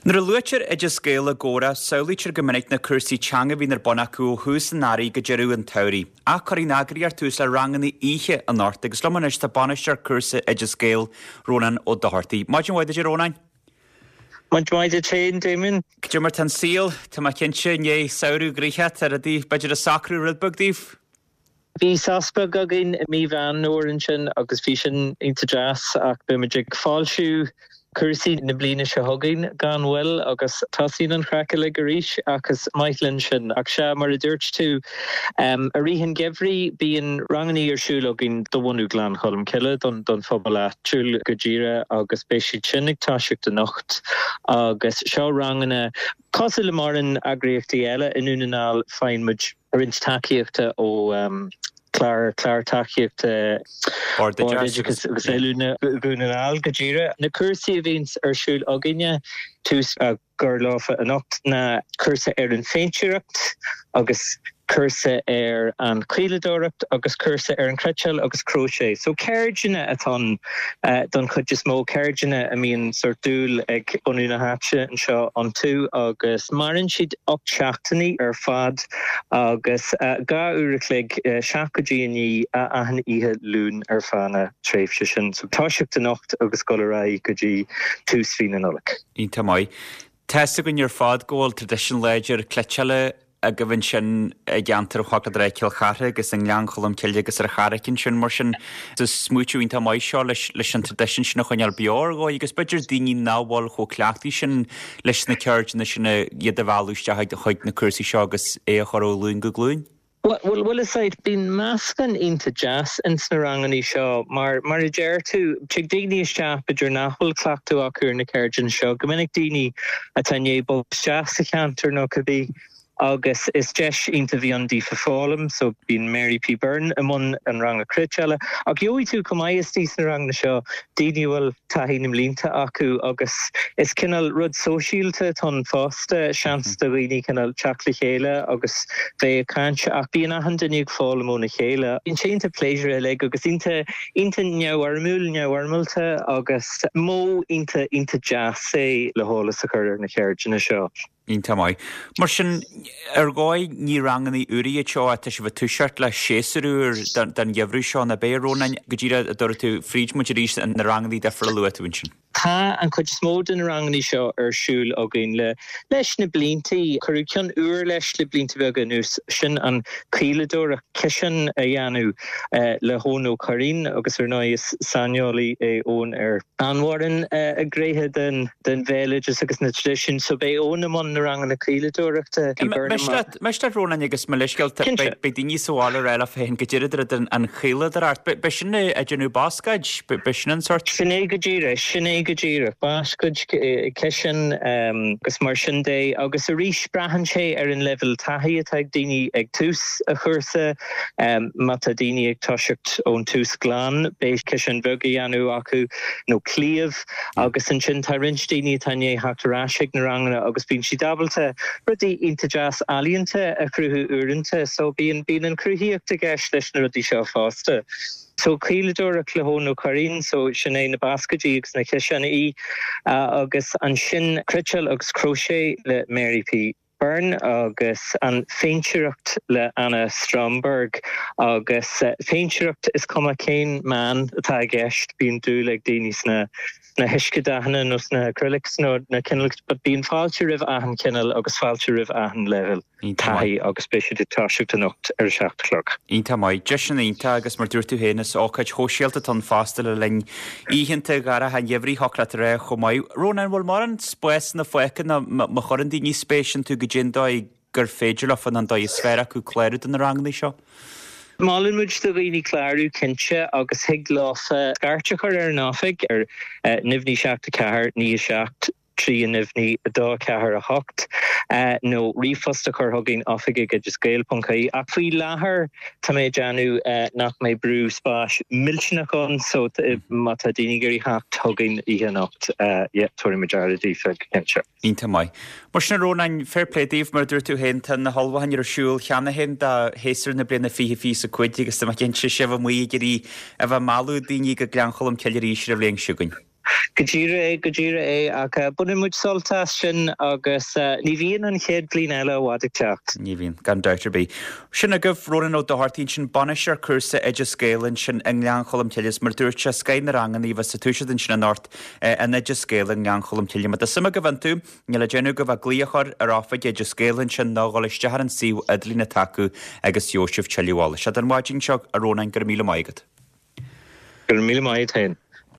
Nuair a luaitear Oideas Gael i gcomhrá, samhlaítear go minic na cúrsaí teanga a bhíonn ar bun acu ó thús an earraigh go deireadh an tsamhraidh. Ach cuirfidh an eagraíocht tús le ranganna oíche anocht agus liom anois tá bainisteoir cúrsa Oideas Gael, Rónán Ó Dochartaigh. Maidin mhaith duit a Rónáin. Maidin mhaith duit féin, Damien. Cad é mar tá an saol? Tá mé cinnte i ndiaidh samhradh gnoitheach, tá rudaí b'fhéidir ag socrú rud beag daoibh. Bhí sos beag againn i mí Mheán Fhómhair ansin agus bhí sin iontach deas ach beimid ag foilsiú cúrsaí na bliana seo chugainn gan mhoill agus tosaíonn an chraic uilig arís ach is maith linn sin. Ach sea, mar a dúirt tú, i rith an gheimhridh bíonn ranganna ar siúl againn do bhunú Ghleann Cholm Cille don phobal áitiúil go díreach agus beidh siad sin ag toiseacht anocht agus seo ranganna cosúil le mórán eagraíochtaí eile i nDún na nGall faigheann muid roinnt tacaíochta ó chlár clár tacaíochta Bord Oideachais agus Oiliúna Dhún na nGall go díreach. Na cúrsaí a bhíonns ar siúl againne, tús á gcur leofa anocht, ná cúrsa ar an phéintéireacht agus cúrsa ar an chaoladóireacht agus cúrsa ar an chniotáil agus cróiséadh. So ceirdeanna atá ann don chuid is mó, ceirdeanna a mbíonn sórt dúil ag bunú na háite anseo iontu agus maireann siad 8 seachtainí ar fad. Agus 2 uair a chloig, 7 go dtí 9, achan oíche Luain ar feadh na tréimhse sin. So toiseacht anocht agus dul ar aghaidh go dtí tús mhí na Nollag. Iontach maith. Tá 'fhios againn ar fad go bhfuil traidisiún láidir cniotála agaibh ansin i gceantar Chnoc Cill Chartha agus i nGleann Cholm Cille agus ar an Charraic ansin. Mar sin, is smaoitiú iontach maith seo leis an traidisiún sin a choinneáil beo ar dhóigh agus b'fhéidir daoine nach bhfuil chomh cleachtaithe sin leis na ceirdeanna sin iad a mhealladh isteach chuig na cúrsaí seo agus é a chur ó ghlúin go glúin. Bhuel, bhfuil 'fhios a'd, bíonn meascán iontach deas ins na rangannaí seo mar, mar a deir tú, tig daoine isteach b'fhéidir nach bhfuil cleachtadh acu ar na ceirdeanna seo, go minic daoine atá i ndiaidh bogadh isteach sa cheantar nó cibé. Agus is deis iontach a bhí ann daofa foghlaim, so bíonn Mary P Byrne i mbun an ranga cniotála. Ach gheobhaidh tú chomh maith istigh sna ranganna seo daoine a bhfuil taithí na mblianta acu agus is cineál rud sóisialta atá ann fosta, seans do dhaoine cineál teacht le chéile agus bheith ag caint ach bíonn achan duine ag foghlaim óna chéile. Bíonn sé iontach pléisiúrtha uilig agus iontach iontach neamhfhoirmiúil, neamhfhoirmeálta agus modh iontach iontach deas é le heolas a chur ar na ceirdeanna seo. Iontach maith. Mar sin, ar dhóigh, ní ranganna úra iad seo ach tá sibh ag toiseacht le séasúr úr don gheimhreadh seo, nach ea, a Rónáin? Go díreach a dúirt tú, fríd muid arís na ranganna difriúla a luaigh tú ansin. Tá an chuid is mó de na ranganna seo ar siúl againn le leis na blianta. Cuireadh ceann úr leis le blianta beaga anuas, sin an chaoladóireacht, ciseán a dhéanamh le hEoin Ó Curraoin agus ar ndóigh is saineolaí é Eoin ar an-mhórán gnéithe den den bhéaloideas agus na traidisiúin so beidh Eoin i mbun na ranganna caoladóireachta. Miste leat Rónáin agus mo leithscéal, beidh daoine sa bhaile ag rá leo féin goidé rud an chaoladóireacht, b'shin ag déanamh bascaeid, b'shin an sórt? Sin é go díreach, sin é go díreach, bascaeid, ciseáin agus mar sin de agus arís braitheann sé ar an leibhéal taithí atá ag daoine ag tús an chúrsa, má tá daoine ag toiseacht ón tús glan beidh ciseán beag á dhéanamh acu nó cliabh. Agus ansin tá roinnt daoine atá i ndiaidh theacht ar ais ag na ranganna agus bíonn siad ábalta rudaí iontach deas ealaíonta a chruthú uaireanta. So bíonn, bíonn an chruthaíocht i gceist leis na rudaí seo fosta. So caoladóireacht le hEoin Ó Curraoin, so sin é na bascaeidí agus na ciseáin agus ansin cniotáil agus cróiséadh le Mary P. Byrne agus an phéintéireacht le Anna Stromberg agus péintéireacht is cuma cén meán atá i gceist bíonn dúil ag daoine sna sna huiscedhathanna nó sna acrylics nó na cineál but bíonn fáilte roimh achan chineál agus fáilte roimh achan leibhéal taithí agus beidh siad ag toiseacht anocht ar a 7 a chlog. Iontach maith. Deiseanna iontach agus mar dúirt tú féin is ócáid shóisialta atá ann fosta le linn oícheanta dhorcha an gheimhridh thiocfadh leat a rá chomh maith. Rónán, an bhfuil mórán spásanna fágtha nó má chuireann daoine spéis iontu goidé an dóigh gur féidir leofa nó an dóigh is fearr acu clárú do na ranganna seo? Molann muid do dhaoine clárú cinnte agus thig leofa scairt a chur ar an oifig ar 0 9 7 4 9 7 3 0 2 4 8 nó ríomhphost a chur chugainn oifig ag oideasgael.ie ach faoi láthair tá mé ag déanamh nach mbeidh brú spáis millteanach ann so má tá daoine ag iarraidh theacht chugainn oíche anocht yeah tabharfaidh muid aire daofa go cinnte. Iontach maith. Mar sin a Rónáin, fair play daoibh, mar a dúirt tú féin, tá na hullmhúcháin ar siúl cheana féin do shéasúr na bliana 2025 agus tá mé cinnte sibh amuigh ag iarraidh a bheith ag mealladh daoine go Gleann Cholm Cille arís ar an bhliain seo chugainn. Go díreach é, go díreach é, ach baineann muid sult as sin agus ní bhíonn an chéad bhliain eile i bhfad ag teacht. Ní bhíonn, gan dabht ar bith. Sin agaibh Rónán Ó Dochartaigh ansin, bainisteoir cúrsa Oideas Gael ansin i nGleann Cholm Cille is mar a dúirt sé, scoth na ranganna a bheas ag toiseacht ansin anocht in Oideas Gael i nGleann Cholm Cille. Má tá suim agaibh iontu, níl le déanamh agaibh ach glaoch a chur ar oifig Oideas Gael ansin nó dhul isteach ar an suíomh idirlín atá acu agus gheobhaidh sibh tuilleadh eolais. Don mhaidin seo, a Rónáin, go raibh míle maith agat. Go raibh míle maith agat féin.